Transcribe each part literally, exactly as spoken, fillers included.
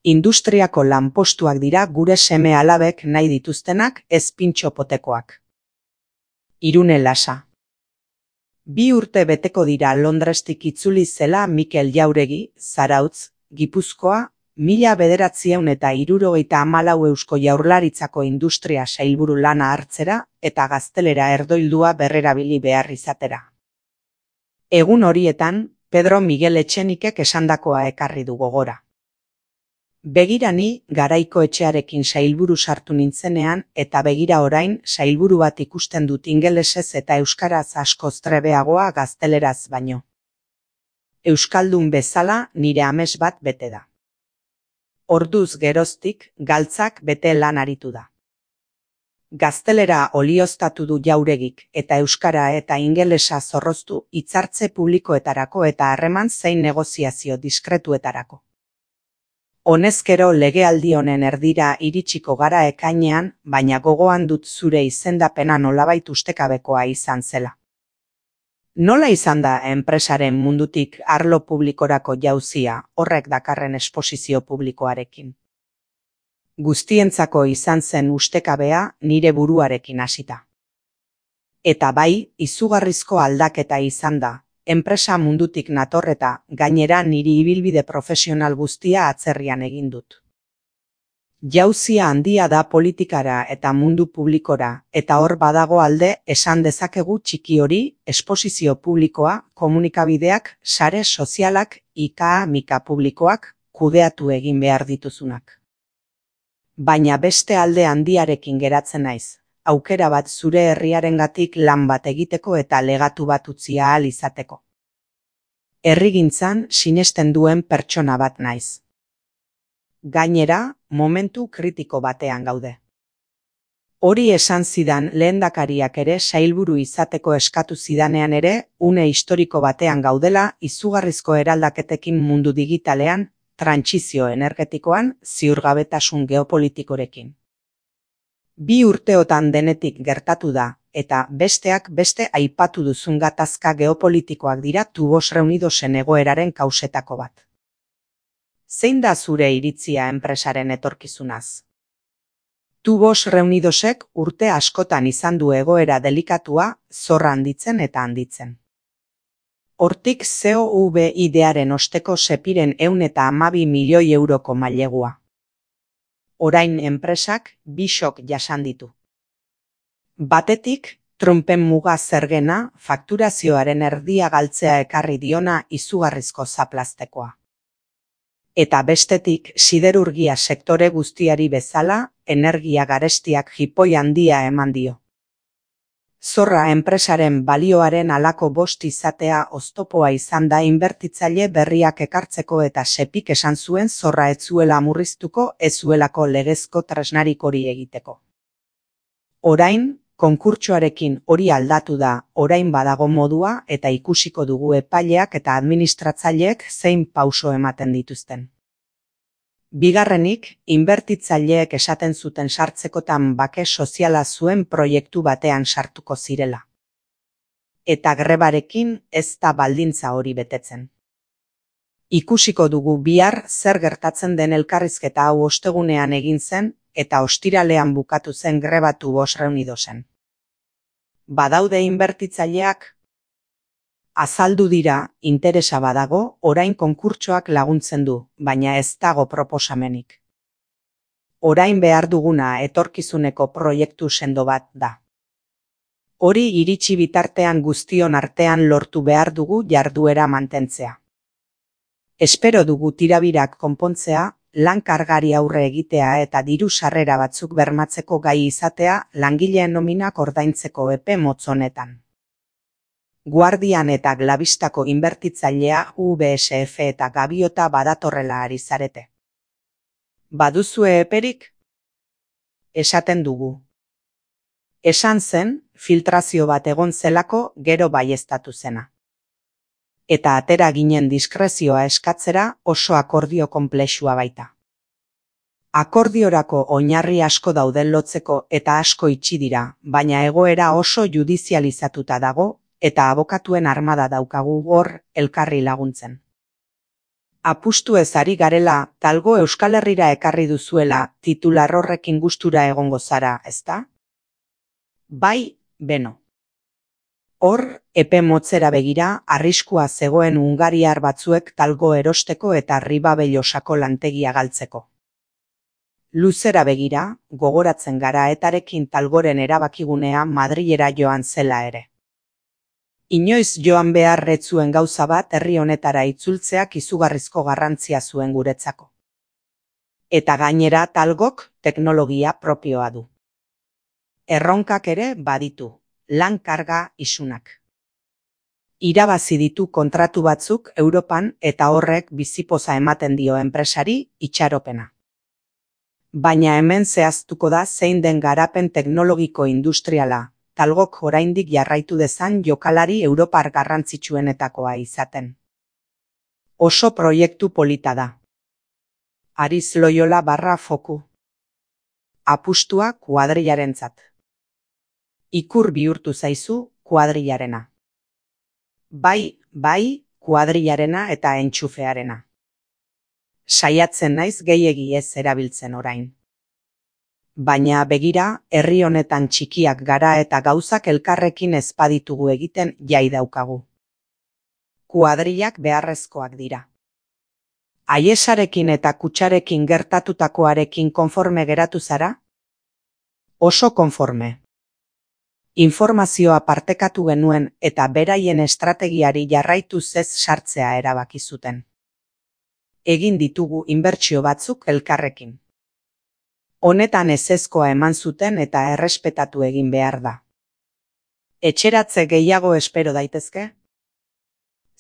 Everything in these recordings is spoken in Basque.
Industriako lanpostuak dira gure seme alabek nahi dituztenak, ez pintxopotekoak. Irune Lasa. Bi urte beteko dira Londrestik itzuli zela Mikel Jauregi, Zarautz, Gipuzkoa, mila bederatziehun eta hirurogeita hamalau Eusko Jaurlaritzako industria sailburu lana hartzera eta gaztelera erdoildua berrerabili behar izatera. Egun horietan, Pedro Miguel Etxenikek esandakoa ekarri du gogora. Begira ni Garaiko Etxearekin sailburu sartu nintzenean eta begira orain sailburu bat ikusten dut ingelesez eta euskaraz askoz trebeagoa gazteleraz baino. Euskaldun bezala nire ames bat bete da. Orduz geroztik galtzak bete lan aritu da. Gaztelera olioztatu du Jauregik eta euskara eta ingelesa zorroztu hitzartze publikoetarako eta harreman zein negoziazio diskretuetarako. Honezkero legealdi honen erdira iritsiko gara ekainean, baina gogoan dut zure izendapena nolabait ustekabekoa izan zela. Nola izan da enpresaren mundutik arlo publikorako jauzia horrek dakarren esposizio publikoarekin? Guztientzako izan zen ustekabea nire buruarekin hasita. Eta bai, izugarrizko aldaketa izan da, enpresa mundutik natorreta, gainera niri ibilbide profesional guztia atzerrian egin dut. Jauzia handia da politikara eta mundu publikora, eta hor badago alde esan dezakegu txiki hori, esposizio publikoa, komunikabideak, sare sozialak, ika mika publikoak, kudeatu egin behar dituzunak. Baina beste alde handiarekin geratzen naiz, aukera bat zure herriarengatik lan bat egiteko eta legatu bat utzi ahal izateko. Herrigintzan sinesten duen pertsona bat naiz. Gainera, momentu kritiko batean gaude. Hori esan zidan lehendakariak ere sailburu izateko eskatu zidanean ere, une historiko batean gaudela izugarrizko eraldaketekin mundu digitalean, trantsizio energetikoan, ziurgabetasun geopolitikorekin. Bi urteotan denetik gertatu da, eta besteak beste aipatu duzun gatazka geopolitikoak dira Tubos Reunidosen egoeraren kausetako bat. Zein da zure iritzia enpresaren etorkizunaz? Tubos Reunidosek urte askotan izan du egoera delikatua, zorra handitzen eta handitzen. Hortik C O V I-dearen osteko sepiren ehun eta hamabi milioi euroko mailegua. Orain enpresak bi shock jasan ditu. Batetik, Trumpen muga zergena fakturazioaren erdia galtzea ekarri diona izugarrizko zaplaztekoa. Eta bestetik, siderurgia sektore guztiari bezala, energia garestiak jipoi handia eman dio. Zorra enpresaren balioaren halako bost izatea oztopoa izan da inbertitzaile berriak ekartzeko eta sepik esan zuen zorra ez zuela murriztuko ez zuelako legezko tresnarik hori egiteko. Orain, konkurtsoarekin hori aldatu da, orain badago modua eta ikusiko dugu epaileak eta administratzaileek zein pauso ematen dituzten. Bigarrenik, inbertitzaileek esaten zuten sartzekotan bake soziala zuen proiektu batean sartuko zirela. Eta grebarekin ez da baldintza hori betetzen. Ikusiko dugu bihar zer gertatzen den elkarrizketa hau ostegunean egin zen eta ostiralean bukatu zen greba Tubos Reunidosen. Badaude inbertitzaileak? Azaldu dira, interesa badago, orain konkurtsoak laguntzen du, baina ez dago proposamenik. Orain behar duguna etorkizuneko proiektu sendo bat da. Hori iritsi bitartean guztion artean lortu behar dugu jarduera mantentzea. Espero dugu tirabirak konpontzea, lan kargari aurre egitea eta diru sarrera batzuk bermatzeko gai izatea langileen nominak ordaintzeko epe motz honetan. Guardian eta Glavistako inbertitzailea U B S F eta Gaviota badatorrela ari zarete. Baduzue eperik? Esaten dugu. Esan zen, filtrazio bat egon zelako gero baieztatu zena. Eta atera ginen diskrezioa eskatzera oso akordio konplexua baita. Akordiorako oinarri asko dauden lotzeko eta asko itxi dira, baina egoera oso judizializatuta dago, eta abokatuen armada daukagu hor elkarri laguntzen. Apustu ez ari garela, talgo Euskal Herrira ekarri duzuela, titular horrekin gustura egongo zara, ezta? Bai, beno. Hor, epe motzera begira, arriskua zegoen hungariar batzuek talgo erosteko eta Ribabellosako lantegia galtzeko. Luzera begira, gogoratzen gara etarekin talgoren erabakigunea Madrilera joan zela ere. Inoiz joan behar ez zuen gauza bat herri honetara itzultzeak izugarrizko garrantzia zuen guretzako. Eta gainera talgok teknologia propioa du. Erronkak ere baditu, lan karga isunak. Irabazi ditu kontratu batzuk Europan eta horrek bizipoza ematen dio enpresari itxaropena. Baina hemen zehaztuko da zein den garapen teknologiko industriala, talgok oraindik jarraitu dezan jokalari europar garrantzitsuenetakoa izaten. Oso proiektu polita da. Ariz Loyola barra foku. Apustua kuadrillarentzat. Ikur bihurtu zaizu kuadrillarena. Bai, bai, kuadrillarena eta entxufearena. Saiatzen naiz gehiegi ez erabiltzen orain. Baina begira, herri honetan txikiak gara eta gauzak elkarrekin ez baditugu egiten jai daukagu. Kuadrillak beharrezkoak dira. Aiesarekin eta kutsarekin gertatutakoarekin konforme geratu zara? Oso konforme. Informazioa partekatu genuen eta beraien estrategiari jarraituz ez sartzea erabaki zuten. Egin ditugu inbertsio batzuk elkarrekin. Honetan ezezkoa eman zuten eta errespetatu egin behar da. Etxeratze gehiago espero daitezke?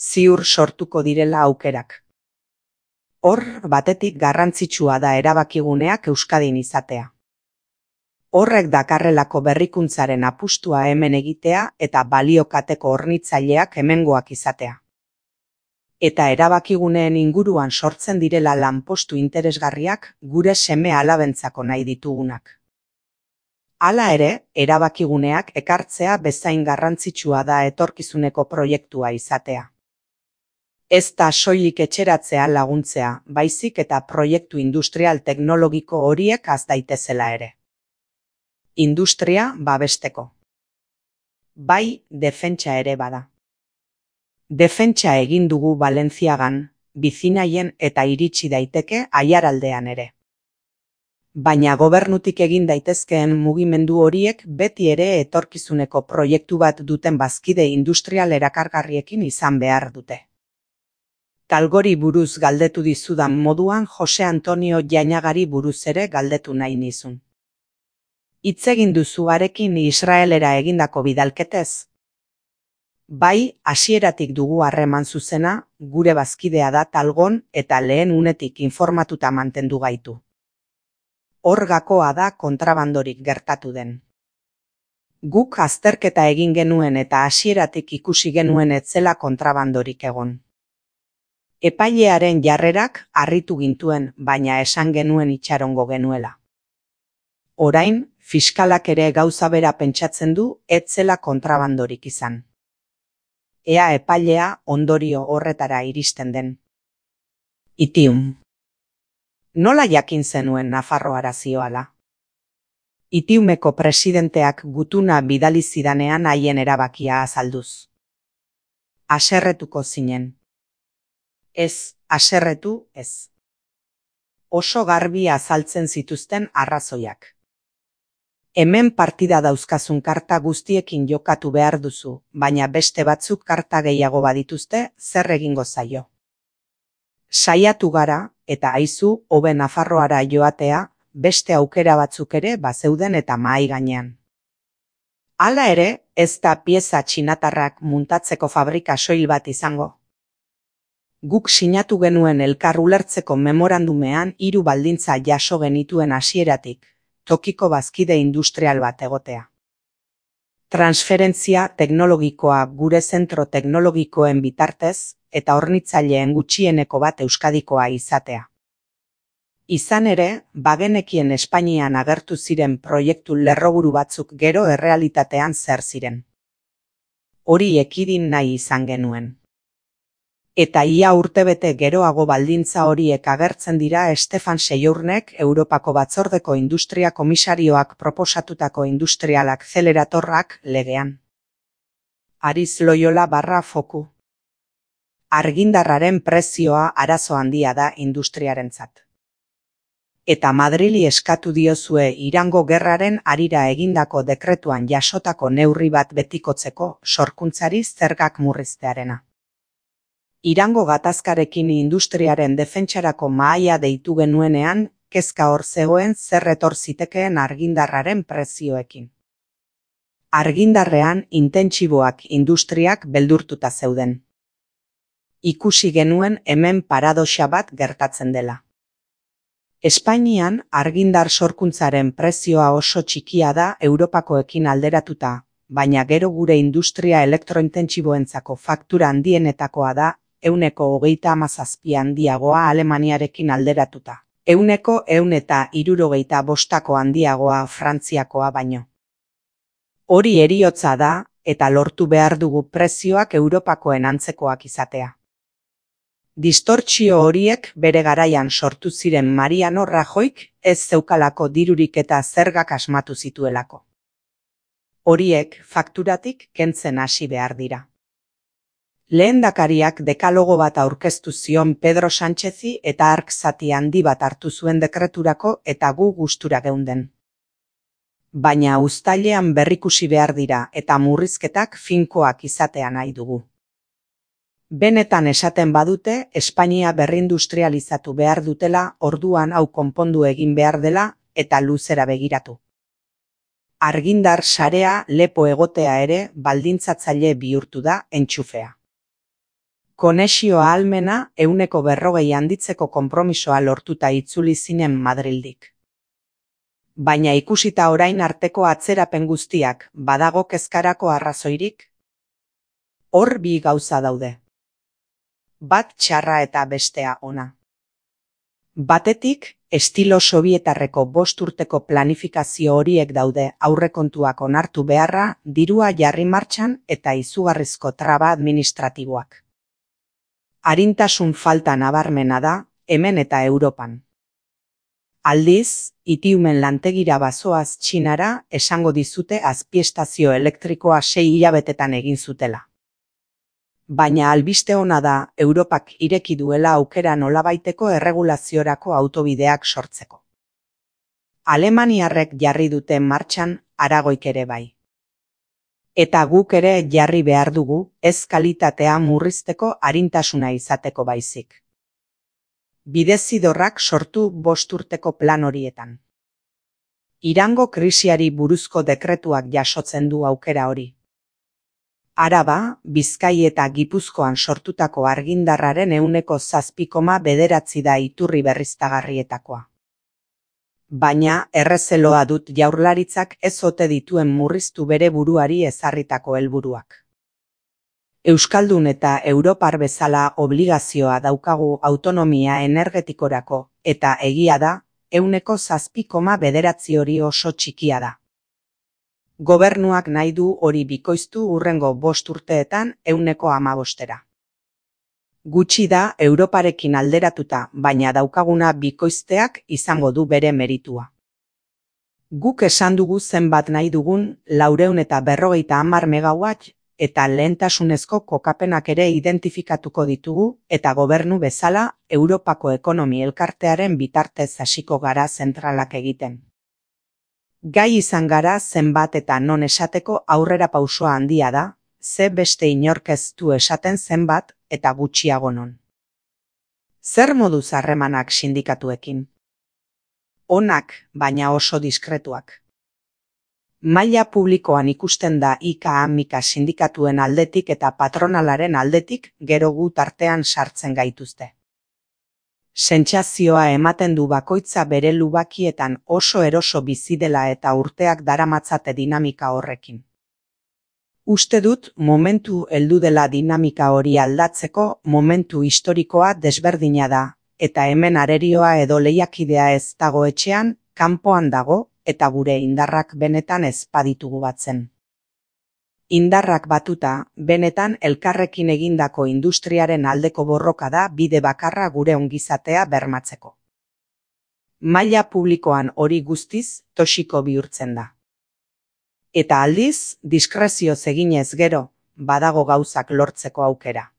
Ziur sortuko direla aukerak. Hor, batetik garrantzitsua da erabakiguneak Euskadin izatea. Horrek dakarrelako berrikuntzaren apustua hemen egitea eta baliokateko hornitzaileak hemengoak izatea. Eta erabakiguneen inguruan sortzen direla lanpostu interesgarriak gure seme alabentzako nahi ditugunak. Hala ere, erabakiguneak ekartzea bezain garrantzitsua da etorkizuneko proiektua izatea. Ez da soilik etxeratzea laguntzea, baizik eta proiektu industrial teknologiko horiek az daitezela ere. Industria babesteko. Bai, defentsa ere bada. Defentsa egin dugu Valentziagan, Bizinaien eta iritsi daiteke Aiaraldean ere. Baina gobernutik egin daitezkeen mugimendu horiek beti ere etorkizuneko proiektu bat duten bazkide industrial erakargarriekin izan behar dute. Talgori buruz galdetu dizudan moduan Jose Antonio Jainagari buruz ere galdetu nahi nizun. Hitz egin duzu harekin Israelera egindako bidalketez? Bai, hasieratik dugu harreman zuzena, gure bazkidea da talgon eta lehen unetik informatuta mantendu gaitu. Hor gakoa da kontrabandorik gertatu den. Guk azterketa egin genuen eta hasieratik ikusi genuen ez zela kontrabandorik egon. Epailearen jarrerak harritu gintuen, baina esan genuen itxarongo genuela. Orain, fiskalak ere gauza bera pentsatzen du ez zela kontrabandorik izan. Ea epailea ondorio horretara iristen den. Itium. Nola jakin zenuen Nafarroara zioala? Itiumeko presidenteak gutuna bidali zidanean haien erabakia azalduz. Haserretuko zinen. Ez, haserretu ez. Oso garbi azaltzen zituzten arrazoiak. Hemen partida dauzkazun karta guztiekin jokatu behar duzu, baina beste batzuk karta gehiago badituzte, zer egingo zaio. Saiatu gara, eta aizu, hobe Nafarroara joatea, beste aukera batzuk ere bazeuden eta mahai gainean. Hala ere, ez da pieza txinatarrak muntatzeko fabrika soil bat izango. Guk sinatu genuen elkar ulertzeko memorandumean hiru baldintza jaso genituen hasieratik, tokiko bazkide industrial bat egotea. Transferentzia teknologikoa gure zentro teknologikoen bitartez eta hornitzaileen gutxieneko bat Euskadikoa izatea. Izan ere, bagenekien Espainian agertu ziren proiektu lerroburu batzuk gero errealitatean zer ziren. Hori ekidin nahi izan genuen. Eta ia urtebete geroago baldintza horiek agertzen dira Stefan Seyurnek Europako Batzordeko Industria Komisarioak proposatutako Industrial Acceleratorrak legean. Aritz Loyola barra foku. Argindarraren prezioa arazo handia da industriarentzat. Eta Madrili eskatu diozue Irango gerraren harira egindako dekretuan jasotako neurri bat betikotzeko sorkuntzari zergak murriztearena. Irango gatazkarekin industriaren defentsarako mahaia deitu genuenean, kezka hor zegoen zer etor zitekeen argindarraren prezioekin. Argindarrean intentsiboak industriak beldurtuta zeuden. Ikusi genuen hemen paradoxa bat gertatzen dela. Espainian argindar sorkuntzaren prezioa oso txikia da Europakoekin alderatuta, baina gero gure industria elektrointentsiboentzako faktura handienetakoa da, euneko hogeita hamazazpi handiagoa Alemaniarekin alderatuta. Euneko ehun eta hirurogeita bostako handiagoa Frantziakoa baino. Hori heriotza da, eta lortu behar dugu prezioak Europakoen antzekoak izatea. Distortsio horiek bere garaian sortu ziren Mariano Rajoyk ez zeukalako dirurik eta zergak asmatu zituelako. Horiek fakturatik kentzen hasi behar dira. Lehendakariak dekalogo bat aurkeztu zion Pedro Sánchezi eta hark zati handi bat hartu zuen dekreturako eta gu gustura geunden. Baina uztailean berrikusi behar dira eta murrizketak finkoak izatea nahi dugu. Benetan esaten badute, Espainia berrindustrializatu behar dutela, orduan hau konpondu egin behar dela eta luzera begiratu. Argindar sarea lepo egotea ere baldintzatzaile bihurtu da entxufea. Konexio ahalmena euneko berrogei handitzeko konpromisoa lortuta itzuli zinen Madrildik. Baina ikusita orain arteko atzerapen guztiak badago kezkarako arrazoirik? Hor bi gauza daude. Bat txarra eta bestea ona. Batetik, estilo sobietarreko bost urteko planifikazio horiek daude aurrekontuak onartu beharra, dirua jarri martxan eta izugarrizko traba administratiboak. Arintasun falta nabarmena da, hemen eta Europan. Aldiz, Itiumen lantegira bazoaz Txinara esango dizute azpiestazio elektrikoa sei hilabetetan egin zutela. Baina albiste ona da Europak ireki duela aukera nolabaiteko erregulaziorako autobideak sortzeko. Alemaniarrek jarri dute martxan, Aragoik ere bai. Eta guk ere jarri behar dugu, ez kalitatea murrizteko arintasuna izateko baizik. Bidezidorrak sortu bost urteko plan horietan. Irango krisiari buruzko dekretuak jasotzen du aukera hori. Araba, Bizkai eta Gipuzkoan sortutako argindarraren ehuneko zazpi koma bederatzi da iturri berriztagarrietakoa. Baina errezeloa dut jaurlaritzak ez ote dituen murriztu bere buruari ezarritako helburuak. Euskaldun eta Europar bezala obligazioa daukagu autonomia energetikorako, eta egia da, ehuneko zazpi koma bederatzi hori oso txikia da. Gobernuak nahi du hori bikoiztu hurrengo bost urteetan ehuneko hamabostera. Gutxi da Europarekin alderatuta, baina daukaguna bikoizteak izango du bere meritua. Guk esan dugu zenbat nahi dugun laurehun eta berrogeita hamar megawatt eta lehentasunezko kokapenak ere identifikatuko ditugu eta gobernu bezala Europako ekonomi elkartearen bitartez hasiko gara zentralak egiten. Gai izan gara zenbat eta non esateko aurrera pausoa handia da, ze beste inork ez du esaten zenbat eta gutxiago non. Zer moduz harremanak sindikatuekin? Onak, baina oso diskretuak. Maila publikoan ikusten da I K A Mika sindikatuen aldetik eta patronalaren aldetik gero gu tartean sartzen gaituzte. Sentsazioa ematen du bakoitza bere lubakietan oso eroso bizi dela eta urteak daramatzate dinamika horrekin. Uste dut momentu heldu dela dinamika hori aldatzeko momentu historikoa desberdina da, eta hemen arerioa edo lehiakidea ez dago etxean, kanpoan dago, eta gure indarrak benetan ez baditugu batzen. Indarrak batuta, benetan elkarrekin egindako industriaren aldeko borroka da bide bakarra gure ongizatea bermatzeko. Maila publikoan hori guztiz toxiko bihurtzen da. Eta aldiz, diskrezioz eginez gero, badago gauzak lortzeko aukera.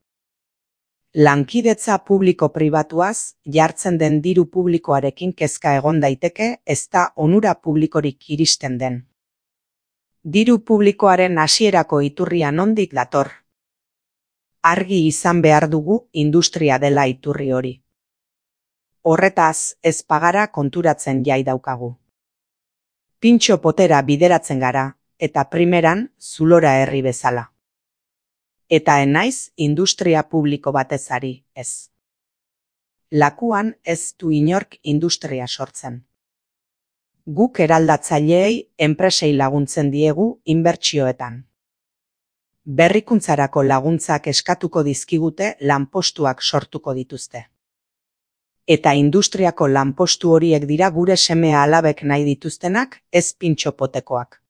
Lankidetza publiko-pribatuaz jartzen den diru publikoarekin kezka egon daiteke ez da onura publikorik iristen den. Diru publikoaren hasierako iturria nondik dator? Argi izan behar dugu industria dela iturri hori. Horretaz ez pagara konturatzen jai daukagu. Pintxo potera bideratzen gara, eta primeran zulora herri bezala. Eta enaiz industria publiko batez ari, ez. Lakuan ez du inork industria sortzen. Guk eraldatzaileei enpresei laguntzen diegu inbertsioetan. Berrikuntzarako laguntzak eskatuko dizkigute lanpostuak sortuko dituzte. Eta industriako lanpostu horiek dira gure seme alabek nahi dituztenak, ez pintxo potekoak.